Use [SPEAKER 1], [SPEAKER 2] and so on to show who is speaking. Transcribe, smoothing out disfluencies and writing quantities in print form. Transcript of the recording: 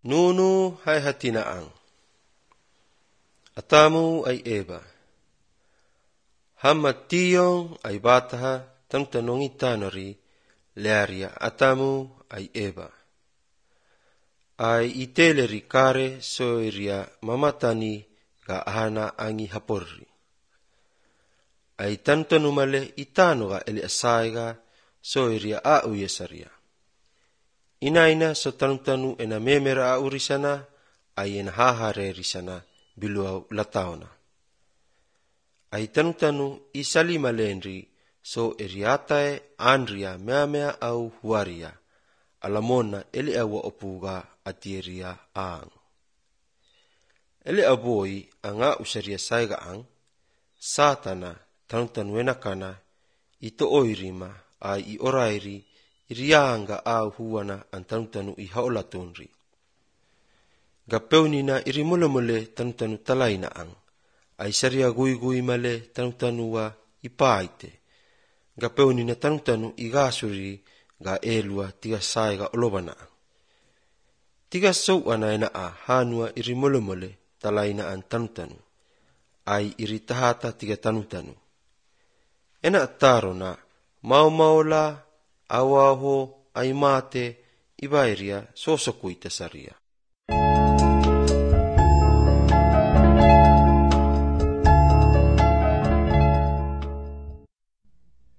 [SPEAKER 1] Nunu hai hatinaang. Atamu ay eba. Hamatiyong ay bataha tantanong itanori learia atamu ay eba. Ay iteleri kare soiria mamatani ga ahana angi haporri. Ay tantanumale itanoga eli asaiga soiria au yesaria. Inaina so tanu ena memera aurisana ay ena hahare risana biluau lataona. Ay tanu isali malenri so eriatae andria mea au huaria alamona eli awa opuga atieria ang. Eli aboi anga usaria saiga ang satana tanu enakana ito oirima ai i orairi irianga au huana antanu i haolatunri. Gapeunina iri mule tanu talaina ang. Ai saria gui male tanua ipaite. Gapeunina tanu igasuri ga elua tiga sai ga olobana. Tiga sau ana ena a hanua iri mule talaina an tanu. Ai iri tahata tiga tanu. Ena tarona mau la awaho ai mate ibairia sosokuita saria.